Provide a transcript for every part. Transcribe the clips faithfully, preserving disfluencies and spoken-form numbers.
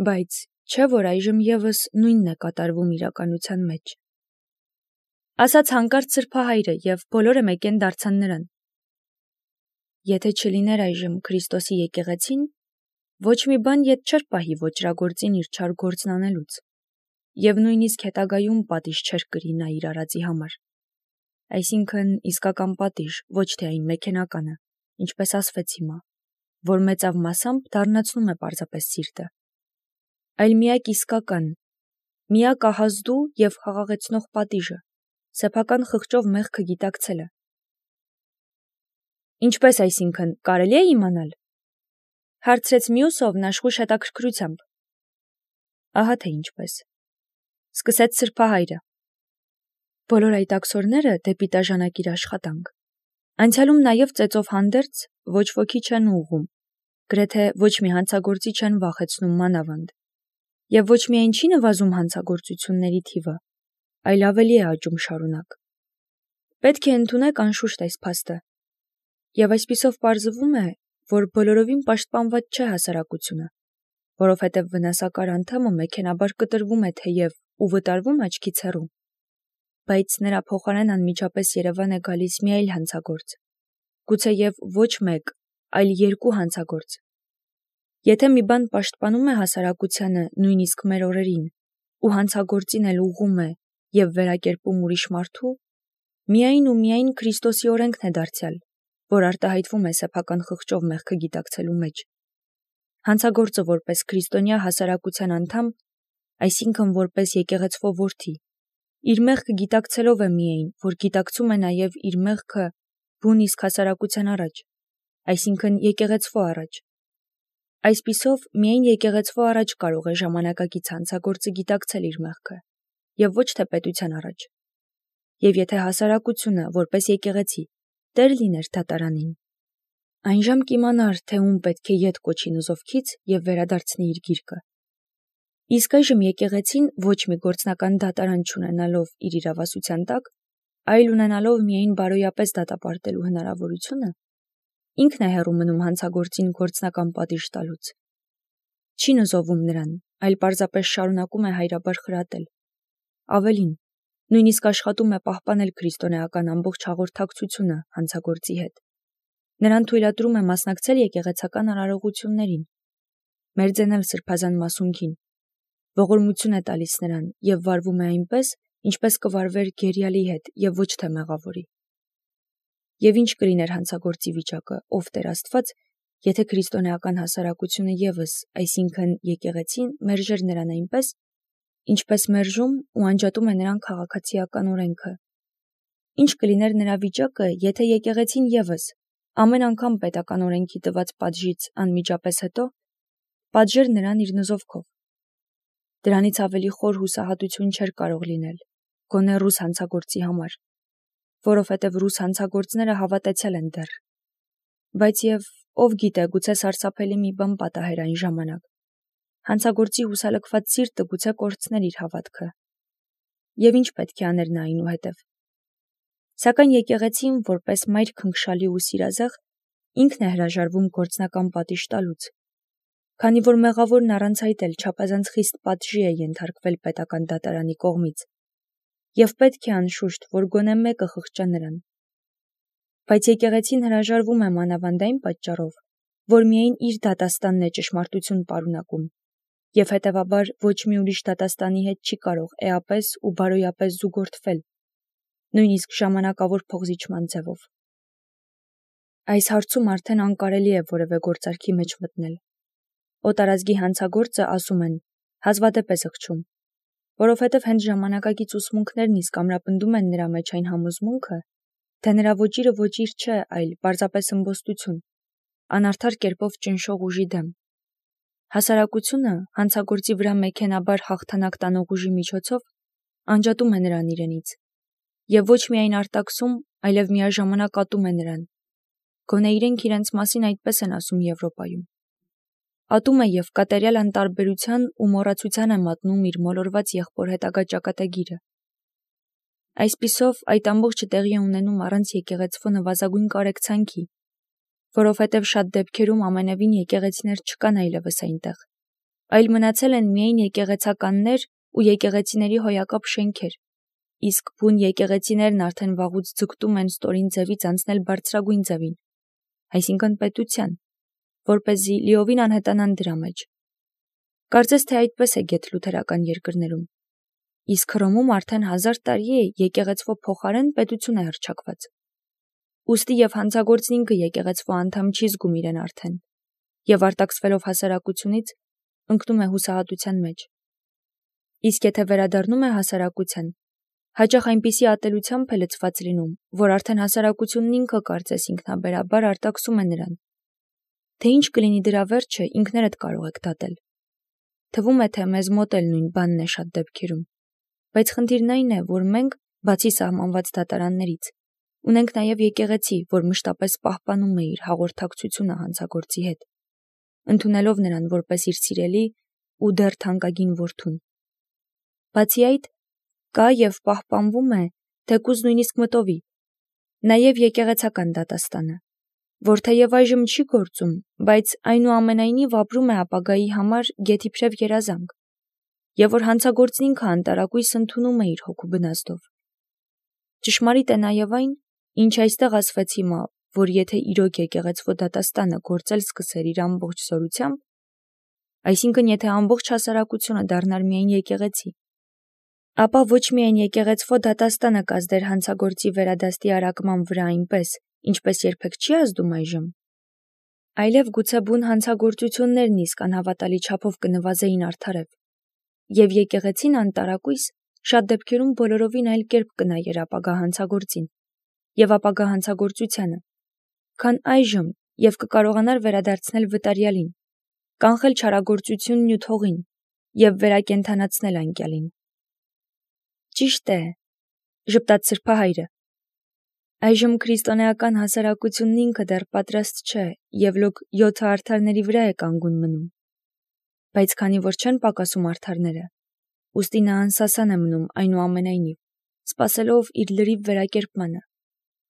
Բայց չէ՞ որ այժմ ևս նույնն է կատարվում իրականության մեջ։ Ասաց հանկարծ սրբահայրը, և բոլորը մեկեն դարձան նրան. Եթե չլիներ այժմ Քրիստոսի եկեղեցին, ոչ մի բան ետ չէր պահի ոճրագործին իր չար գործն անելուց, և նույնիսկ հետագայում պատիժ չէր կրի նա իր արածի համար։ Այսինքն իսկական պատիժ, ոչ թե այն մեքենականը, ինչպես ասվեց հիմա, որ մեծավ մասամբ դառնացնում է պարզապես սիրտը, այլ միակ իսկական, միակ ահազդու և խաղաղեցնող պատիժը, սեփական խղճով մեղքը գիտակցելը։ Ինչպես այսինքն, կարելի է իմանալ, հարցրեց մյուս ով նաշխուշ հետաքրքրությամբ։ Ահա թե ինչպես, սկսեց սրբահայրը։ Բոլոր այդ աքսորները դեպի տաժանակիր աշխատանք։ Անցյալում նաև ծեծով հանդերձ ոչ ոքի չեն ուղղում, գրեթե ոչ մի հանցագործի չեն վախեցնում մանավանդ, և ոչ միայն չի նվազում հանցագործությունների թիվը, այլ ավելի է աճում շարունակ։ Պետք է ընդունեք անշուշտ այս փաստը, և այսպիսով պարզվում է, որ բոլորովին պաշտպանված չէ հասարակությունը, որովհետև վնասակար անդամը մեքենաբար կտրվում է թեև ու վտարվում աչքից հեռու, բայց նրա փոխարեն անմիջապես երևան է գալիս մի այլ հանցագործ, գուցեև ոչ մեկ, այլ երկու հանցագործ։ Եթե մի բան պաշտպանում է հասարակությանը նույնիսկ մեր օրերին, ու հանցագործին էլ ուղղում է և վերակերպում ուրիշ մարդու, միայն ու միայն Քրիստոսի օրենքն է դարձյալ, որ արտահայտվում է սեփական խղճով մեղքը գիտակցելու մեջ։ Հանցագործը որպես քրիստոնյա հասարակության անդամ, այսինքն որպես եկեղեցվո որդի, իր մեղքը գիտակցելով է միայն, որ գիտակցում է նաև իր մեղքը բուն իսկ հասարակության առաջ, այսինքն եկեղեցվո առաջ։ Այսպիսով, միայն եկեղեցվո առաջ կարող է ժամանակակից հանցագործը գիտակցել իր մեղքը, և ոչ թե պետության առաջ։ Եվ եթե հասարակությունը, որպես եկեղեցի, տեր լիներ դատարանին, այն ժամ կիմանար, թե ում պետք է ետ կոչի նզովքից և վերադարձնի իր գիրկը։ Իսկ այժմ եկեղեցին ոչ մի գործնական դատարան չունենալով իր իրավասության տակ, այլ ունենալով միայն բարոյապես դատապարտելու հնարավորությունը, ինքն է հեռու մնում հանցագործին գործնական պատիժ տալուց։ Չի նզովում նրան, այլ պարզապես շարունակում է հայրաբար խրատել։ Ավելին, նույնիսկ աշխատում է պահպանել քրիստոնեական ամբողջ հաղորդակցությունը հանցագործի հետ։ Նրան թույլատրում է մասնակցել եկեղեցական արարողություններին, մերձենել սրբազան մասունքին, ողորմություն է տալիս նրան և վարվում է այնպես, ինչպես կվարվեր գերիալի հետ և ոչ թե մեղավորի։ Եվ ինչ կլիներ հանցագործի վիճակը, ով Տեր Աստված, եթե քրիստոնեական հասարակությունը ևս, այսինքն եկեղեցին, մերժեր նրան այնպես, ինչպես մերժում ու անջատում է նրան քաղաքացիական օրենքը։ Ինչ կլիներ նրա վիճակը, եթե եկեղեցին ևս, ամեն անգամ պետական օրենքի տված պատժից անմիջապես հետո, պատժեր նրան իր նզովքով։ Դրանից ավելի խոր հուսահատություն չէր կարող լինել, գոնե ռուս հանցագործի համար, որովհետև ռուս հանցագործները հավատացյալ են դեռ։ Բայց և ով գիտե, գուցե սարսափելի մի բան պատահեր այն ժամանակ։ Հանցագործի հուսալքված սիրտը գուցե կորցներ իր հավատքը։ Եվ ինչ պետք է աներ նա այնուհետև։ Սակայն եկեղեցին, որպես մայր քնքշալի ու սիրազեղ, ինքն է հրաժարվում գործնական պատիժ տալուց, քանի որ մեղավորն առանց այդ էլ չափազանց խիստ պատժի է ենթարկվել պետական դատարանի կողմից, և պետք է անշուշտ, որ գոնե մեկը խղճա նրան։ Բայց եկեղեցին հրաժարվում է մանավանդ այն պատճառով, որ միայն իր դատաստանն է ճշմարտություն պարունակում, և հետևաբար ոչ մի ուրիշ դատաստանի հետ չի կարող էապես ու բարոյապես զուգորդվել, նույնիսկ ժամանակավոր փոխզիջման ձևով։ Այս հարցում արդեն անկարելի է որևէ գործարքի մեջ մտնել։ Օտարազգի հանցագործը, ասում են, հազվադեպ է զղջում, որովհետև հենց ժամանակակից ուսմունքներն իսկ ամրապնդում են նրա մեջ այն համոզմունքը, թե նրա ոճիրը ոճիր չէ, այլ պարզապես ըմբոստություն, անարդար կերպով ճնշող ուժի դեմ։ Հասարակությունը հանցագործի վրա մեքենաբար հաղթանակ տանող ուժի միջոցով անջատում է նրան իրենից, և ոչ միայն արտաքսում, այլև միաժամանակ ատում է նրան, գոնե իրենք իրենց մասին այդպես են ասում Եվրոպայում։ Ատում է և կատարյալ անտարբերության ու մոռացության է մատնում իր մոլորված եղբոր հետագա ճակատագիրը։ Այսպիսով այդ ամբողջը տեղի է ունենում առանց եկեղեցվո նվազագույն կարեկցանքի, որովհետև շատ դեպքերում ամենևին եկեղեցիներ չկան այլևս այնտեղ, այլ մնացել են միայն եկեղեցականներ ու եկեղեցիների հոյակապ շենքեր, իսկ բուն եկեղեցիներն արդեն վաղուց ձգտում են ստորին ձևից անցնել բարձրագույն ձևին, այսինքն պետության, որպեսզի լիովին անհետանան դրա մեջ։ Կարծես թե այդպես է գեթ լութերական երկրներում, իսկ Հռոմում արդեն հազար տարի է եկեղեցվո փոխարեն պետություն է հռչակված։ Ուստի և հանցագործն ինքը եկեղեցվո անդամ չի զգում իրեն արդեն, և արտաքսվելով հասարակությունից ընկնում է հուսահատության մեջ։ Իսկ եթե վերադառնում է հասարակության, հաճախ այնպիսի ատելությամբ է լցված լինում, որ արդեն հասարակությունն ինքը կարծես ինքնաբերաբար արտաքսում է նրան։ Թե ինչ կլինի դրա վերջը, ինքներդ կարող եք դատել։ Թվում է, թե մեզ մոտ էլ նույն բանն է շատ դեպքերում, բայց խնդիրն այն է, որ մենք, բացի սահմանված դատարաններից, ունենք նաև եկեղեցի, որ մշտապես պահպանում է իր հաղորդակցությունը հանցագործի հետ, ընդունելով նրան որպես իր սիրելի ու դեռ թանկագին որդուն։ Բացի այդ, կա և պահպանվում է, թեկուզ նույնիսկ մտովի, նաև եկեղեցական դատաստանը, որ թեև այժմ չի գործում, բայց այնուամենայնիվ ապրում է ապագայի համար գեթ իբրև երազանք, և որ հանցագործն ինքը անտարակույս ընդունում է իր հոգու բնազդով։ Ճշմարիտ է նաև այն, ինչ այստեղ ասվեց հիմա, որ եթե իրոք եկեղեցվո դատաստանը գործել սկսեր իր ամբողջ զորությամբ, այսինքն եթե ամբողջ հասարակությունը դառնար միայն եկեղեցի, ապա ոչ միայն եկեղեցվո դատաստանը կազդեր հանցագործի վերադաստի արակման վրա այնպես, ինչպես երբեք չի ազդում այժմ, այլև գուցե բուն հանցագործություններն իսկ անհավատալի չափով կնվազեին արդարև, և եկեղեցին անտարակույս շատ դեպքերում բոլորովին այլ կերպ կնայեր ապագա հանցագործին և ապագա հանցագործությանը, քան այժմ և կկարողանար վերադարձնել վտարյալին, կանխել չարագործությունն ու թողին և վերակենդանացնել անկյալին։ Ճիշտ է, ժպտաց սրբահայրը, այժմ քրիստոնեական հասարակությունն ինքը դեռ պատրաստ չէ և լոկ յոթը արդարների վրա է կանգուն մնում, բայց քանի որ չեն պակասում արդարները, ուստի նա անսասան է մնում այնուամենայնիվ, սպասելով իր լրիվ վերակերպմանը,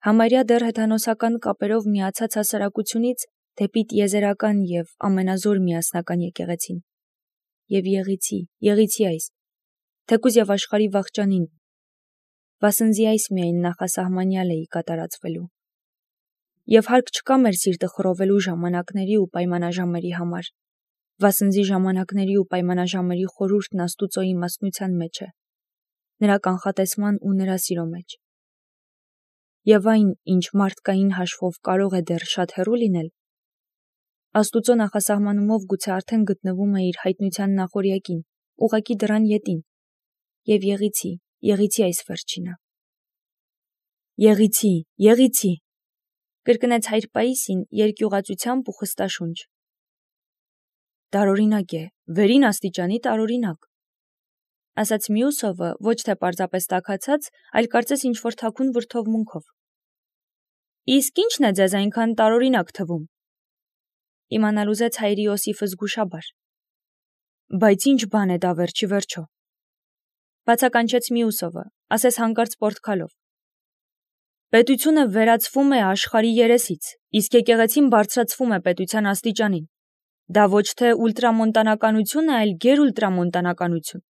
համարյա դեռ հեթանոսական կապերով միացած հասարակությունից դեպի տիեզերական և ամենազոր միասնական եկեղեցին։ Եվ եղիցի, եղիցի այս, թեկուզ և աշխարհի վախճանին, վասնզի այս միայն նախասահմանյալ էի կատարածվելու։ Եվ հարկ չկա մեր սիրտը խռովելու ժամանակների ու պայմանաժամերի համար, վասնզի ժամանակների ու պայմանաժամերի խորհուրդն Աստուծո իմաստնության մեջ է, նրա կանխատեսման ու նրա սիրո մեջ։ Եվ այն, ինչ մարդկային հաշվով կարող է դեռ շատ հեռու լինել, Աստուծո նախասահմանումով գուցե արդեն գտնվում է իր հայտնության նախօրյակին, ուղղակի դռան ետին, և եղիցի, եղիցի այս վերջինը։ Եղիցի, եղիցի, կրկնեց հայր Պաիսին երկյուղածությամբ ու խստաշունչ։ Տարօրինակ է, վերին աստիճանի տարօրինակ, ասաց Մյուսովը ոչ թե պարզապես տաքացած, այլ կարծես ինչ-որ թաքուն վրդովմունքով։ Իսկ ի՞նչն է ձեզ այնքան տարօրինակ թվում։ Իմանալ ուզեց հայրի Իոսիֆը զգուշաբար։ Բայց ի՞նչ բան է դա վերջի վերջո։ Բացականչեց Մյուսովը, ասես հանկարծ պորտքալով։ Պետությունը վերածվում է աշխարհի երեսից, իսկ եկեղեցին բարձրացվում է պետության աստիճանին։ Դա ոչ թե ուլտրամոնտանականություն է, այլ գերուլտրամոնտանականություն։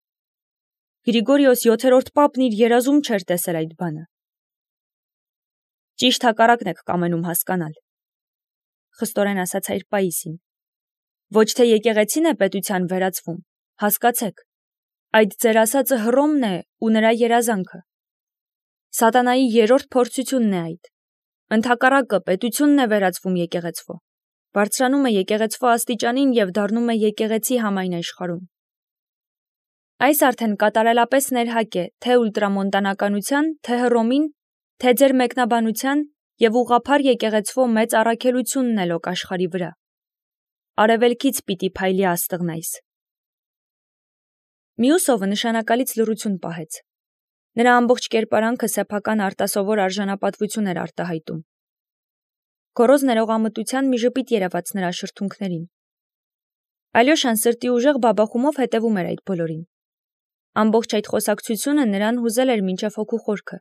Գրիգորիոս յոթերորդ պապն իր երազում չէր տեսել այդ բանը։ Ճիշտ հակառակն եք կամենում հասկանալ, խստորեն ասաց հայր Պաիսին։ Ոչ թե եկեղեցին է պետության վերածվում, հասկացեք, այդ ձեր ասածը Հռոմն է ու նրա երազանքը։ Սատանայի երրորդ փորձությունն է այդ։ Ընդհակառակը պետությունն է վերածվում եկեղեցվո, բարձրանում է եկեղեցվո աստիճանին և դառնում է եկեղեցի համայն աշխարհում։ Այս արդեն կատարելապես ներհակ է թե ուլտրամոնտանականության, թե Հռոմին, թե ձեր մեկնաբանության և ուղղափառ եկեղեցվո մեծ առաքելությունն է լոկ աշխարհի վրա։ Արևելքից պիտի փայլի աստղն այս։ Մյուսովը նշանակալից լռություն պահեց։ Նրա ամբողջ կերպարանքը սեփական արտասովոր արժանապատվություն էր արտահայտում։ Գոռոզ ներողամտության մի ժպիտ երևաց նրա շրթունքներին։ Ալյոշան սրտի ուժեղ բաբախումով հետևում էր այդ բոլորին։ Ամբողջ այդ խոսակցությունը նրան հուզել էր մինչև հոգու խորքը։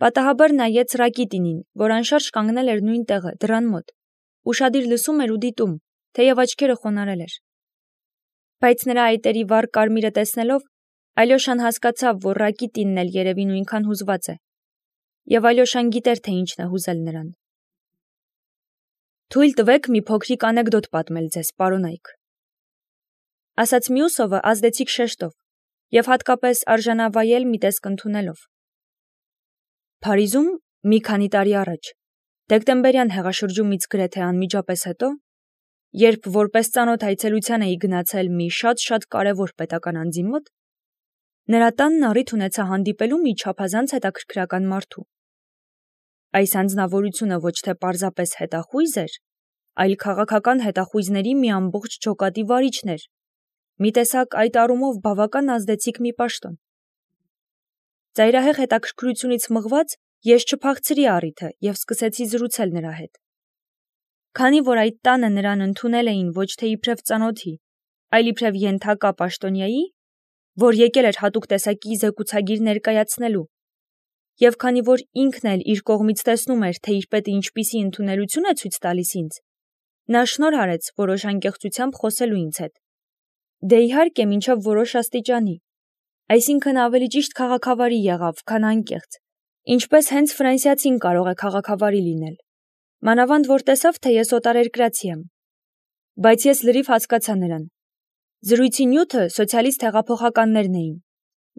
Պատահաբար նայեց Ռակիտինին, որ անշարժ կանգնել էր նույն տեղը, դռան մոտ, ուշադիր լսում էր ու դիտում, թեև աչքերը խոնարհել էր։ Բայց նրա այտերի վառ կարմիրը տեսնելով, Ալյոշան հասկացավ, որ Ռակիտինն էլ երևի նույնքան հուզված է, եւ Ալյոշան գիտեր, թե ինչն է հուզել նրան։ Թույլ տվեք մի փոքրիկ անեկդոտ պատմել ձեզ, պարոնայք, ասաց Մյուսովը ազդեցիկ շեշտով եւ հատկապես արժանավայել մի տեսք ընդունելով։ Փարիզում մի քանի տարի առաջ, դեկտեմբերյան հեղաշրջումից գրեթե անմիջապես հետո, երբ որպես ծանոթ այցելության էի գնացել մի շատ-շատ կարևոր պետական անձի մոտ, նրա տանն առիթ ունեցա հանդիպելու մի չափազանց հետաքրքրական մարդու։ Այս անձնավորությունը ոչ թե պարզապես հետախույզ էր, այլ քաղաքական հետախույզների մի ամբողջ ջոկատի վարիչն էր, մի տեսակ այդ առումով բավական ազդեցիկ մի պաշտոն։ Ծայրահեղ հետաքրքրությունից մղված ես չփախցրի առիթը եւ սկսեցի զրուցել նրա հետ։ Քանի որ այդ տանը նրան ընդունել էին ոչ թե իբրև ծանոթի, այլ իբրև ենթակա պաշտոնյայի, որ եկել էր հատուկ տեսակի զեկուցագիր ներկայացնելու, եւ քանի որ ինքն էլ իր կողմից տեսնում էր, թե իր պետը ինչպիսի ընդունելություն է ցույց տալիս ինձ, նա շնորհ արեց որոշ անկեղծությամբ խոսելու ինձ հետ։ Դե իհարկե մինչև որոշ աստիճանի, այսինքն ավելի ճիշտ քաղաքավարի եղավ, քան անկեղծ, ինչպես հենց ֆրանսիացին կարող է քաղաքավարի լինել, մանավանդ որ տեսավ, թե ես օտարերկրացի եմ, բայց ես լրիվ հասկացա նրան։ Զրույցի նյութը սոցիալիստ հեղափոխականներն էին,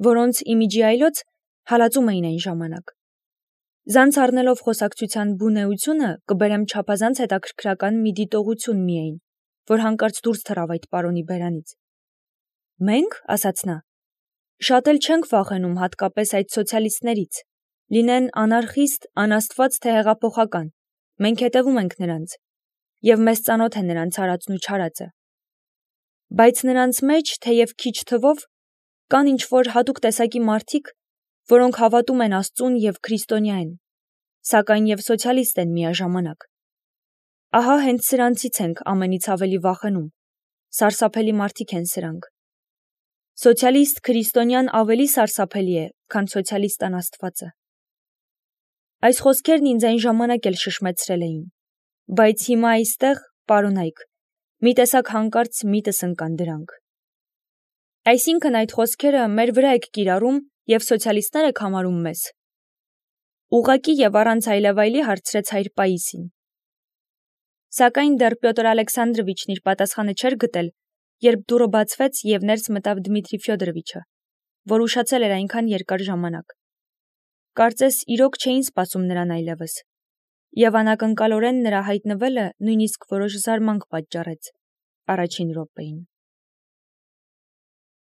որոնց իմիջի այլոց հալածում էին այն ժամանակ։ Զանց առնելով խոսակցության բունեությունը կբերեմ չափազանց հետաքրքրական մի դիտողություն միայն, որ հանկարծ դուրս թռավ այդ պարոնի բերանից։ Մենք, ասաց նա, շատ էլ չենք վախենում հատկապես այդ սոցիալիստներից, լինեն անարխիստ, անաստված թե հեղափոխական, մենք հետևում ենք նրանց, եւ մեզ ծանոթ է նրանց արածն ու չարածը։ Բայց նրանց մեջ, թեև քիչ թվով, կան ինչ-որ հատուկ տեսակի մարդիկ, որոնք հավատում են Աստծուն եւ քրիստոնյա են, սակայն եւ սոցիալիստ են միաժամանակ։ Ահա հենց սրանցից ենք ամենից ավելի վախենում, սարսափելի մարդիկ են սրանք։ Սոցիալիստ քրիստոնյան ավելի սարսափելի է, քան սոցիալիստ անաստվածը։ Այս խոսքերն ինձ այն ժամանակ էլ շշմեցրել էին, բայց հիմա այստեղ, պարոնայք, մի տեսակ հանկարծ միտս ընկան դրանք։ Այսինքն այդ խոսքերը մեր վրա եք կիրառում եւ սոցիալիստներ եք համարում մեզ։ Ուղղակի եւ առանց այլևայլի հարցրեց հայր Պաիսին։ Սակայն դեռ Պյոտր Ալեքսանդրովիչն իր պատասխանը չէր գտել, երբ դուռը բացվեց եւ ներս մտավ Դմիտրի Ֆյոդորովիչը, որ ուշացել էր այնքան երկար ժամանակ։ Կարծես իրոք չէին սպասում նրան այլևս, եւ անակնկալորեն նրա հայտնվելը նույնիսկ որոշ զարմանք պատճառեց առաջին րոպեին։